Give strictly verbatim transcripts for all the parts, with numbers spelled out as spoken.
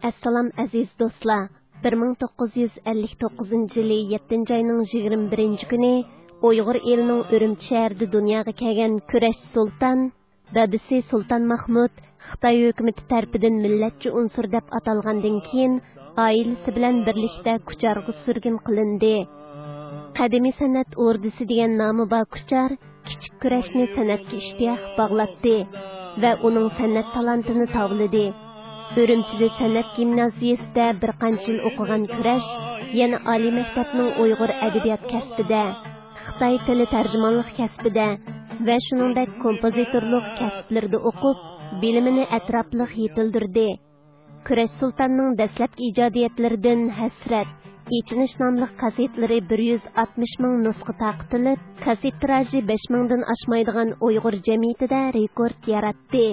ئەسسالام ئەزىز دوستلار! بىر مىڭ توققۇز يۈز ئەللىك توققۇزىنچى يىلى يەتتىنچى ئاينىڭ يىگىرمە بىرىنچى كۈنى ئۇيغۇر ئېلىنىڭ ئۈرۈمچى شەھىرىدە دۇنياغا كەلگەن كۈرەش سۇلتان، دادىسى سۇلتان مەھمۇد خىتاي ھۆكۈمىتى تەرىپىدىن مىللەتچى ئۇنسۇر دەپ ئاتالغاندىن كېيىن، ئائىلىسى بىلەن بىرلىكتە كۇچارغا سۈرگۈن قىلىندى. قەدىمىي سەنئەت ئوردىسى دېگەن نامى بار كۇچار كىچىك كۈرەشنى سەنئەتكە ئىشتىياق باغلاتتى ۋە ئۇنىڭ سەنئەت تالانتىنى تاۋلىدى. ئۈرۈمچىدە سەنئەت گىمنازىيىسىدە بىر قانچە يىل ئوقۇغان كۈرەش يەنە ئالىي مەكتەپنىڭ ئۇيغۇر ئەدەبىيات كەسپىدە، خىتاي تىلى تەرجىمانلىق كەسپىدە ۋە شۇنىڭدەك كومپوزىتورلۇق كەسىپلىرىدە ئوقۇپ، بىلىمىنى ئەتراپلىق يېتىلدۈردى. كۈرەش سۇلتاننىڭ دەسلەپكى ئىجادىيەتلىرىدىن ھەسرەت، ئېچىنىش ناملىق كاسېتلىرى بىر يۈز ئاتمىش مىڭ نۇسخا تارقىتىلىپ، كاسېت تىراژى بەش مىڭدىن ئاشمايدىغان ئۇيغۇر جەمئىيىتىدە رېكورت ياراتتى.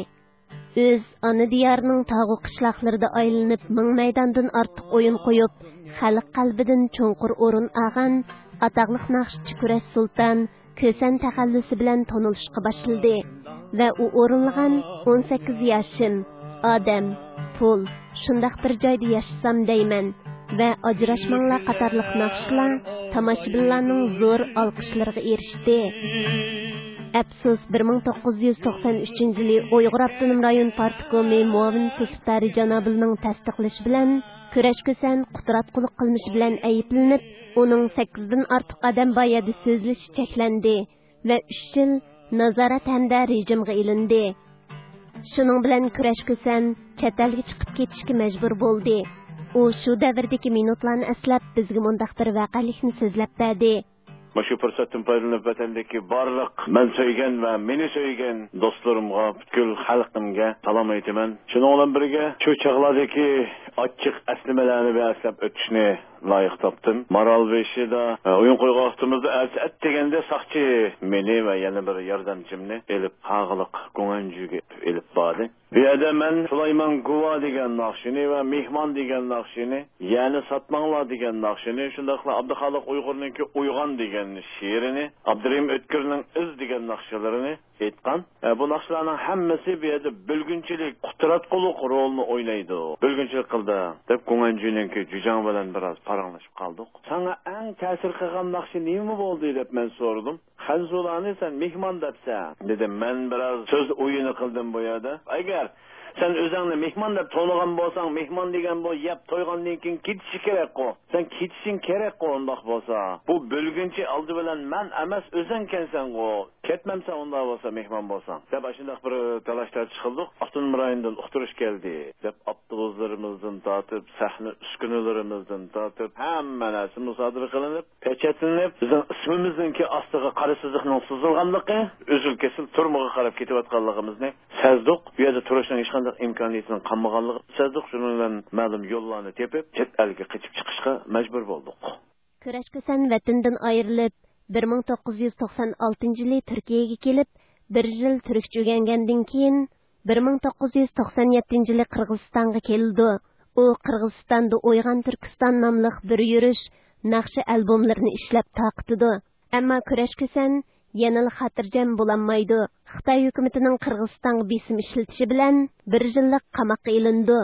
ئۆز ئانا دىيارىنىڭ تاغۇ قىشلاقلىرىدا ئايلىنىپ، مىڭ مەيداندىن ئارتۇق ئويۇن قويۇپ، خەلق قەلبىدىن چوڭقۇر ئورۇن ئالغان ئاتاقلىق ناخشىچى كۈرەش سۇلتان كۈسەن تەخەللۇسى بىلەن تونۇلۇشقا باشلىدى ۋە ئۇ ئورۇنلىغان ئون سەككىز ياشىم، ئادەم، پۇل، شۇنداق بىر جايدا ياشىسام دەيمەن ۋە ئاجراشماڭلار قاتارلىق ناخشىلار تاماشىبىنلارنىڭ زور ئالقىشلىرىغا ئېرىشتى. ئەپسۇس، بىر مىڭ توققۇز يۈز توقسان ئۈچىنچى يىلى ئۇيغۇر ئاپتونوم رايون پارتكومى مۇئاۋىن سېكرېتارى جانابىنىڭ تەستىقلىشى بىلەن، كۈرەش كۈسەن قۇتراتقۇلۇق قىلمىشى بىلەن ئەيىبلىنىپ، ئۇنىڭ سەككىزدىن ئارتۇق ئادەم بار يەردە سۆزلىشى چەكلەندى ۋە ئۈچ يىل نازارەت ھەمدە رېجىمغا ئېلىندى. شۇنىڭ بىلەن كۈرەش كۈسەن چەت ئەلگە چىقىپ كېتىشكە مەجبۇر بولدى. ئۇ شۇ دەۋردىكى مىنۇتلارنى ئەسلەپ، بىزگە مۇنداق بىر ۋەقەلىكنى سۆزلەپ بەردى. مۇشۇ پۇرسەتتىن پايدىلىنىپ، ۋەتەندىكى بارلىق مەن سۆيگەن ۋە مېنى سۆيگەن دوستلىرىمغا، پۈتكۈل خەلقىمگە سالام ئېيتىمەن. شۇنىڭ بىلەن بىرگە، شۇ چاغلاردىكى ئاچچىق ئەسلىمىلەرنى بىر ئەسلەپ ئۆتۈشنى لايىق تاپتىم. مارالبېشىدا، ئە، ئويۇن قويغان ۋاقتىمىزدا ئەتە ئەت دېگەندە ساقچى مېنى ۋە يەنە بىر ياردەمچىمنى ئېلىپ ھاغىلىق گۇڭئەنجۈگە ئېلىپ باردى. بۇ يەردە مەن سۇلايمان گۇۋا دېگەن ناخشىنى ۋە مېھمان دېگەن ناخشىنى، يەنى ساتماڭلار دېگەن ناخشىنى، شۇنداقلا ئابدۇخالىق ئۇيغۇرنىڭكى ئويغان دېگەن شېئىرىنى، ئابدۇرېھىم ئۆتكۈرنىڭ ئىز دېگەن ناخشىلىرىنى ئېيتقان. ئە، بۇ ناخشىلارنىڭ ھەممىسى بۇ يەردە بۆلگۈنچىلىك، قۇتراتقۇلۇق رولنى ئوينايدۇ. بۆلگۈنچىلىك قىلدى، دەپ گۇڭئەنجۈنىڭكى جۈجاڭ بىلەن بىراز پاراڭلىشىپ قالدۇق. ساڭا ئەڭ تەسىر قىلغان ناخشا نېمە بولدى؟ دەپ مەن سورىدىم. خەنزۇلانى سەن مېھمان دەپسەن، دېدىم. مەن بىراز سۆز ئويۇنى قىلدىم بۇ يەردە. ئەگەر سەن ئۆزۈڭنى مېھمان دەپ تونۇغان بولساڭ، مېھمان دېگەن بۇ يەپ تويغاندىن كېيىن كېتىشى كېرەكقۇ. سەن كېتىشىڭ كېرەكقۇ ئۇنداق بولسا. بۇ بۆلگۈنچى ئالدى بىلەن مەن ئەمەس، ئۆزۈڭكەنسەنغۇ. كەتمەمسەن ئۇنداق بولسا، مېھمان بولساڭ، دەپ ئاشۇنداق بىر تالاش تارتىش قىلدۇق. ئاپتونوم رايوندىن ئۇقتۇرۇش كەلدى، دەپ ئاپتوبۇسلىرىمىزدىن تارتىپ، سەھنە ئۈسكۈنىلىرىمىزدىن تارتىپ، ھەممە نەرسە مۇسادىرە قىلىنىپ، پېچەتلىنىپ، بىزنىڭ ئىسمىمىزنىڭكى ئاستىغا قارا سىزىقنىڭ سىزىلغانلىقى، ئۈزۈل-كېسىل تۈرمىگە قاراپ كېتىۋاتقانلىقىمىزنى سەزدۇق. بۇ يەردە تۇرۇشنىڭ ھېچقانداق ئىمكانىيىتىنىڭ قالمىغانلىقىنى سەزدۇق. شۇنىڭ بىلەن مەلۇم يوللارنى تېپىپ، چەت ئەلگە قېچىپ چىقىشقا مەجبۇر بولدۇق. كۈرەش كۈسەن ۋەتىنىدىن ئايرىلىپ، بىر مىڭ توققۇز يۈز توقسان ئالتىنچى يىلى تۈركىيەگە كېلىپ، بىر يىل تۈركچە ئۆگەنگەندىن كېيىن، بىر مىڭ توققۇز يۈز توقسان يەتتىنچى يىلى قىرغىزىستانغا كېلىدۇ. ئۇ قىرغىزىستاندا ئويغان تۈركىستان ناملىق بىر يۈرۈش ناخشا ئالبوملىرىنى ئىشلەپ تارقىتىدۇ. ئەمما كۈرەش كۈسەن يەنىلا خاتىرجەم بولالمايدۇ. خىتاي ھۆكۈمىتىنىڭ قىرغىزىستانغا بېسىم ئىشلىتىشى بىلەن بىر يىللىق قاماققا ئېلىنىدۇ.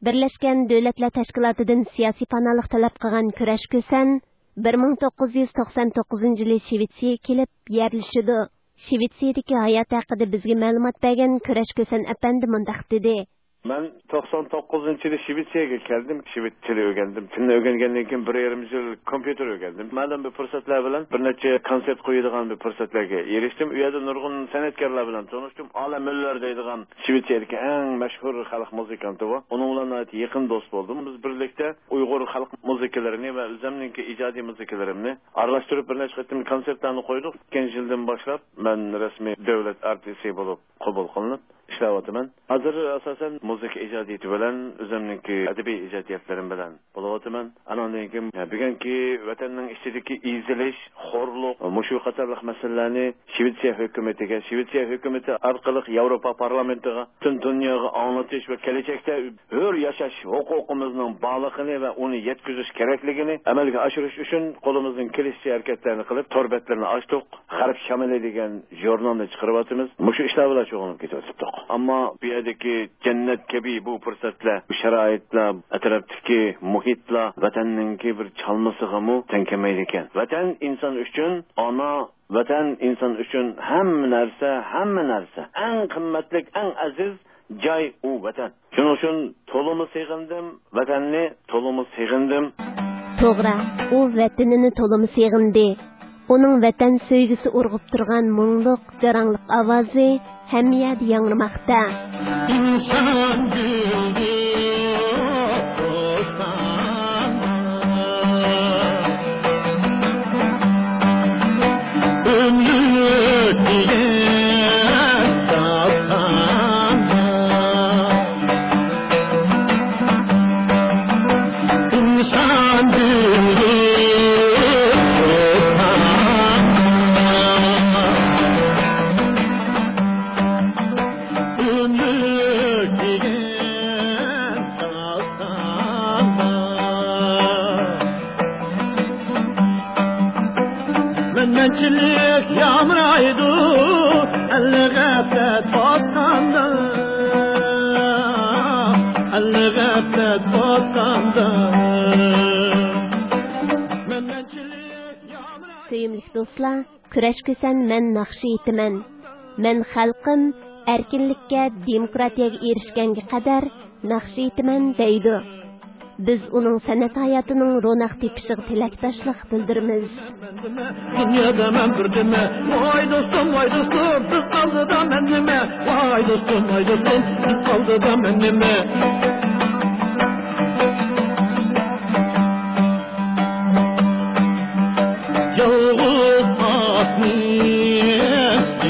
بىرلەشكەن دۆلەتلەر تەشكىلاتىدىن سىياسىي پاناھلىق تەلەپ قىلغان كۈرەش كۈسەن بىر مىڭ توققۇز يۈز توقسان توققۇزىنچى يىلى شىۋېتسىيەگە كېلىپ يەرلىشىدۇ. شىۋېتسىيەدىكى ھاياتى ھەققىدە بىزگە مەلۇمات بەرگەن كۈرەش كۈسەن ئەپەندى مۇنداق دېدى. مەن توقسان توققۇزىنچى يىلى شىۋېتسىيەگە كەلدىم. شىۋېت تىلى ئۆگەندىم. تىلنى ئۆگەنگەندىن كېيىن بىر يېرىم يىل كومپيۇتېر ئۆگەندىم. مەلۇم بىر پۇرسەتلەر بىلەن بىر نەچچە كونسېرت قويىدىغان بىر پۇرسەتلەرگە ئېرىشتىم. ئۇ يەردە نۇرغۇن سەنئەتكارلار بىلەن تونۇشتۇم. ئالە مۆللەر دەيدىغان شىۋېتسىيەدىكى ئەڭ مەشھۇر خەلق مۇزىكانتى بۇ. ئۇنىڭ بىلەن ناھايىتى يېقىن دوست بولدۇم. بىز بىرلىكتە ئۇيغۇر خەلق مۇزىكىلىرىنى ۋە ئۆزۈمنىڭكى ئىجادىي مۇزىكىلىرىمنى ئارىلاشتۇرۇپ بىر نەچچە قېتىم كونسېرتلارنى قويدۇق. ئىككىنچى يىلدىن باشلاپ مەن رەسمىي دۆلەت ئارتىسى بولۇپ قوبۇل قىلىنىپ ئىشلەۋاتىمەن. ھازىر ئاساسەن مۇزىكا ئىجادىيىتى بىلەن ئۆزۈمنىڭكى ئەدەبىي ئىجادىيەتلىرىم بىلەن بولۇۋاتىمەن. ئانىڭدىن كېيىن بۈگۈنكى ۋەتەننىڭ ئىچىدىكى ئېزىلىش، خورلۇق، مۇشۇ قاتارلىق مەسىلىلەرنى شىۋېتسىيە ھۆكۈمىتىگە، شىۋېتسىيە ھۆكۈمىتى ئارقىلىق ياۋروپا پارلامېنتىغا، پۈتۈن دۇنياغا ئاڭلىتىش ۋە كېلەچەكتە ھۆر ياشاش ھوقۇقىمىزنىڭ بارلىقىنى ۋە ئۇنى يەتكۈزۈش كېرەكلىكىنى ئەمەلگە ئاشۇرۇش ئۈچۈن قولىمىزدىن كېلىشىچە ھەرىكەتلەرنى قىلىپ، تور بەتلىرىنى ئاچتۇق. غەرب شامىلى دېگەن ژۇرنالنى چىقىرىۋاتىمىز. مۇشۇ ئىشلار بىلەن شۇغۇللىنىپ كېتىۋاتىپتۇق. ئەمما بۇ يەردىكى جەننەت كەبى بۇ پۇرسەتلەر، بۇ شارائىتلار، ئەتراپتىكى مۇھىتلار ۋەتەننىڭكى بىر چالمىسىغىمۇ تەڭ كەلمەيدىكەن. ۋەتەن ئىنسان ئۈچۈن ئانا، ۋەتەن ئىنسان ئۈچۈن ھەممە نەرسە، ھەممە نەرسە. ئەڭ قىممەتلىك، ئەڭ ئەزىز جاي ئۇ ۋەتەن. شۇنىڭ ئۈچۈن تولىمۇ سېغىندىم، ۋەتەننى تولىمۇ سېغىندىم. توغرا، ئۇ ۋەتىنىنى تولىمۇ سېغىندى. ئۇنىڭ ۋەتەن سۆيگۈسى ئۇرغۇپ تۇرغان مۇڭلۇق، جاراڭلىق ئاۋازى ھەممە يەردە ياڭرىماقتا. ئىنسان گۈلى بوستاندا، ئۆمۈر دېگەن داستاندا. ئىنسان گۈلى بوستاندا، ئۆمۈر دېگەن داستاندا. مەنمەنچىلىك يامرايدۇ ئەلنى غەپلەت باسقاندا، ئەلنى غەپلەت باسقاندا. مەنمەنچىلىك يامرايدۇ. سۆيۈملۈك دوستلار، كۈرەشكۈسەن مەن ناخشا ئېيتىمەن. مەن خەلقىم ئەركىنلىككە، دېموكراتىيەگە ئېرىشكەنگە قەدەر ناخشا ئېيتىمەن دەيدۇ. بىز ئۇنىڭ سەنئەت ھاياتىنىڭ روناق تېپىشىغا تىلەكداشلىق بىلدۈرىمىز. دۇنيادا مەن بىردىنمەن، ۋاي دوستۇم، ۋاي دوستۇم، بىز ئالدىدا مەن نېمە؟ ۋاي دوستۇم، ۋاي دوستۇم، بىز ئالدىدا مەن نېمە؟ يالغۇز ئاتنى يېڭىپ